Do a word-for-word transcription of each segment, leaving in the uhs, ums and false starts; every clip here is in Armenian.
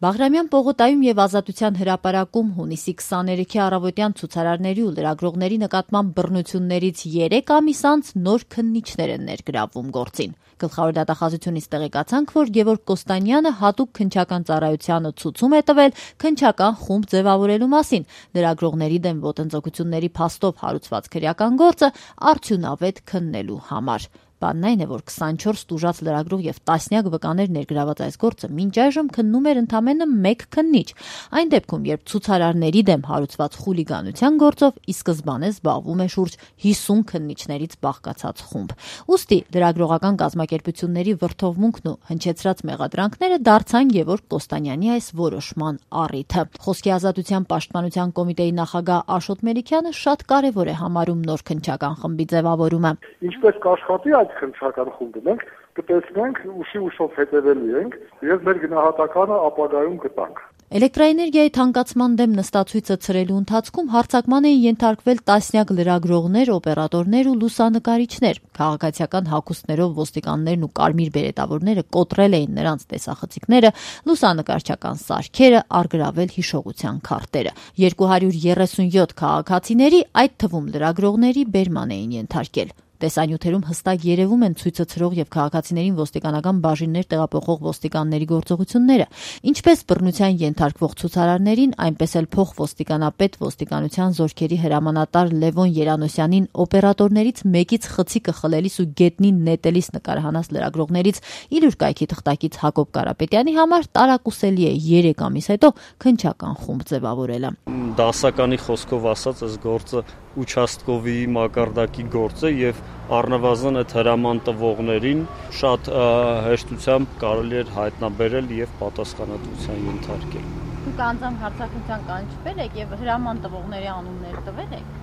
Բաղրամյան պողոտայում եւ Ազատության հրապարակում հունիսի քսաներեքի առավոտյան ցուցարարների ու լրագրողների նկատմամբ բռնություններից երեք ամիս անց նոր քննիչներ են ներգրավվում գործին։ Գլխավոր դատախազությունից տեղեկացանք, որ Գևորգ Կոստանյանը հատուկ քննչական ծառայությանը ցուցում է տվել քննչական խումբ ձևավորելու մասին։ Լրագրողների դեմ ոտնձգությունների փաստով հարուցված քրեական գործը արդյունավետ քննելու համար։ Բանն այն է, որ քսանչորս տուժած լրագրող եւ տասնյակ վկաներ ներգրաված այս գործը մինչ այժմ քննում էր ընդամենը մեկ քննիչ։ Այն դեպքում, երբ ցուցարարների դեմ հարուցված խուլիգանության գործով ի սկզբանե զբաղվում է շուրջ հիսուն քննիչներից բաղկացած խումբ։ Ուստի լրագրողական կազմակերպությունների վրթովմունքն ու հնչեցրած մեղադրանքները դարձան Գևորգ Կոստանյանի այս որոշման առիթը։ Խոսքի ազատության պաշտպանության կոմիտեի նախագահ Աշոտ Մելիքյանը շատ կարևոր է համարում նոր քննչական խմբի ձևավորումը։ Ինչպես կաշխատի այդ քննչական խումբը, մենք կտեսնենք, ուշի ուշով հետևելու ենք եւ մեր գնահատականը ապագայում կտանք։ Էլեկտրաէներգիայի թանկացման դեմ նստացույցը ցրելու ընթացքում հարձակման էին ենթարկվել տասնյակ լրագրողներ, օպերատորներ ու լուսանկարիչներ։ Քաղաքացիական հագուստներով ոստիկաններն ու կարմիր բերետավորները կոտրել էին նրանց տեսախցիկները, լուսանկարչական սարքերը, առգրավել հիշողության քարտերը։ երկու հարյուր երեսունյոթ քաղաքացիների, այդ թվում լրագրողների, բերման էին ենթարկել։ Տեսանյութերում հստակ երևում են ցույցը ցրող եւ քաղաքացիներին ոստիկանական բաժիններ տեղափոխող ոստիկանների գործողությունները։ Ինչպես բռնության ենթարկվող ցուցարարներին, այնպես էլ փոխոստիկանապետ ոստիկանության զորքերի հրամանատար Լևոն Երանոսյանին օպերատորներից մեկից խցիկը խլելիս ու գետնին նետելիս նկարահանած լրագրողներից իր կայքի թղթակից Հակոբ Կարապետյանի համար տարակուսելի է երեք ամիս հետո քննչական խումբ ձևավորելը։ Դասականի խոսքով ասած, այս գործը ուչաստկովի մակարդակի գործ է եւ առնվազն այդ հրաման տվողներին շատ հեշտությամբ կարելի էր հայտնաբերել եւ պատասխանատվության ենթարկել։ Դուք անձամբ հարձակության կանչվել եք եւ հրաման տվողների անուններ տվել եք։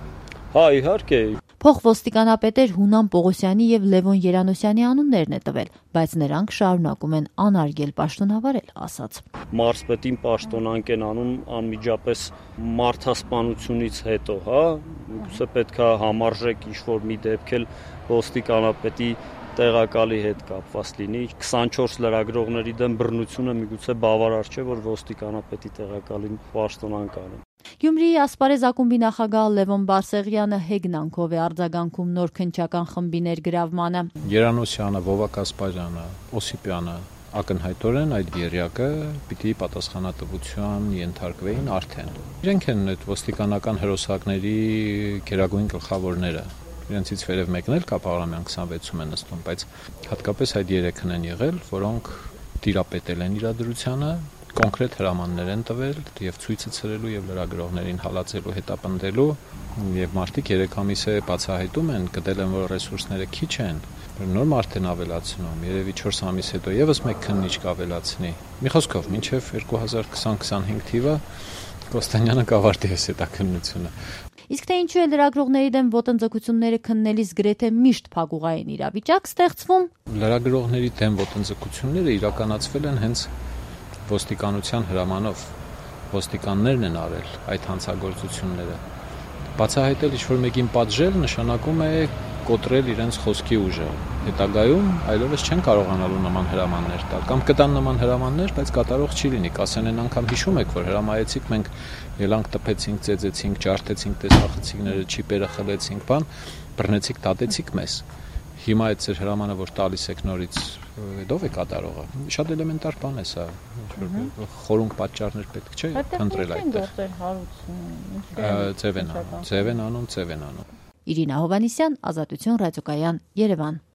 Հա, իհարկե։ Փոխոստիկանապետեր Հունան Պողոսյանի եւ Լևոն Երանոսյանի անուններն է տվել, բայց նրանք շարունակում են անարգել պաշտոնավարել, ասաց։ Մարզպետին պաշտոնանկ են անում անմիջապես մարդասպանությունից հետո, հա, գուցե պետքա համարժեք ինչ-որ մի դեպք էլ ոստիկանապետի տեղակալի հետ կապված լինի։ քսանչորս լրագրողների դեմ բռնությունը միգուցե բավարար չէ, որ ոստիկանապետի տեղակալին պաշտոնանկ անեն։ Գյումրիի Ասպարեզ ակումբի նախագահ Լևոն Բարսեղյանը հեգնանքով է արձագանքում նոր քննչական խմբի ներգրավմանը։ Երանոսյանը, Վովակ Ասպարյանը, Օսիպյանը ակնհայտորեն այդ երյակը պիտի պատասխանատվության ենթարկվեին արդեն։ Իրենք են այդ ոստիկանական հրոսակների գերագույն գլխավորները։ Իրենցից վերև մեկն էլ կա Բաղրամյան քսանվեցում է նստում, բայց հատկապես այդ երեքն են եղել, որոնք տիրապետել են իրադրությանը, կոնկրետ հրամաններ են տվել եւ ցույցը ցրելու եւ լրագրողներին հալածելու, հետապնդելու եւ մարդիկ երեք ամիս է բացահայտում են, գտել են, որ ռեսուրսները քիչ են, նոր մարդ են ավելացնում, երևի չորս ամիս հետո եւս մեկ քննիչ կավելացնի։ Մի խոսքով, մինչեւ երկու հազար քսան քսանհինգ թիվը Կոստանյանը կավարտի այս հետաքննությունը։ Իսկ թե ինչու է լրագրողների դեմ ոտնձգությունները քննելիս գրեթե միշտ փակուղային իրավիճակ ստեղծվում։ Լրագրողների դեմ ոտնձգությունները իրականացվել են հենց ոստիկանության հրամանով, ոստիկաններն են արել այդ հանցագործությունները։ Բացահայտել ինչ-որ մեկին պատժել նշանակում է կոտրել իրենց խոսքի ուժը։ Հետագայում այլևս չեն կարողանալու նման հրամաններ տալ, կամ կտան նման հրամաններ, բայց կատարող չի լինի։ Կասեն են անգամ հիշում եք, որ հրամայեցիք, մենք ելանք տպեցինք, ծեծեցինք, ջարդեցինք տեսախցիկները, չիպերը խլեցինք, բան, բռնեցիք, դատեցիք մեզ։ Հիմա այդ ձեր հրամանը, որ տալիս եք նորից, ով է կատարողը։ Շատ էլեմենտար բան է սա։ Խորունկ պատճառներ պետք չէ ընտրել այդտեղ։ Ձև են անում, ձև են անում, ձև են անում։ Իրինա Հովանիսյան, Ազատություն ռադիոկայան, Երևան։